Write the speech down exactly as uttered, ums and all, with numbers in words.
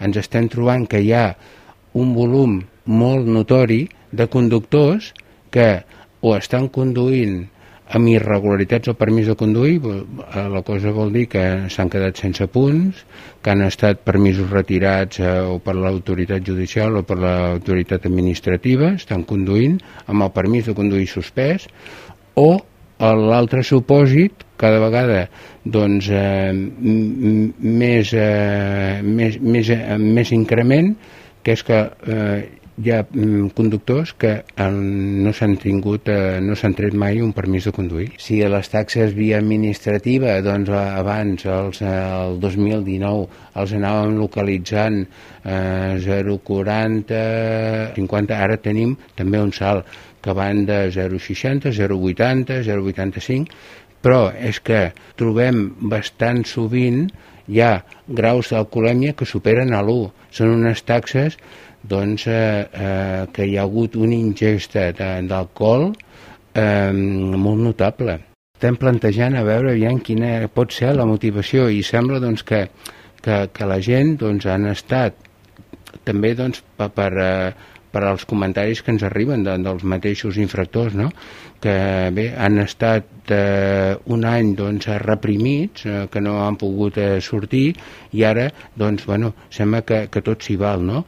ens estem trobant que hi ha un volum molt notori de conductors que o estan conduint amb irregularitats o permís de conduir, la cosa vol dir que s'han quedat sense punts, que han estat permisos retirats eh, o per l'autoritat judicial o per l'autoritat administrativa, estan conduint amb el permís de conduir suspès, o l'altre supòsit, cada vegada doncs, eh, més, eh, més, més, eh, més increment, que és que eh, hi ha mm, conductors que el, no s'han tingut, eh, no s'han tret mai un permís de conduir. Si les taxes via administrativa, doncs abans, els, el dos mil dinou, els anàvem localitzant eh, zero coma quaranta, cinquanta, ara tenim també un salt que van de zero coma seixanta, zero coma vuitanta, zero coma vuitanta-cinc, però és que trobem bastant sovint hi ha graus d'alcoholèmia que superen a l'u. Són unes taxes doncs, eh, eh, que hi ha hagut una ingesta d'alcohol eh, molt notable. Estem plantejant a veure aviam quina pot ser la motivació i sembla doncs, que, que, que la gent doncs, han estat també doncs, per, per, per als comentaris que ens arriben de, dels mateixos infractors, no? Que bé, han estat eh, un any doncs, reprimits, eh, que no han pogut eh, sortir i ara doncs, bueno, sembla que, que tot s'hi val, no?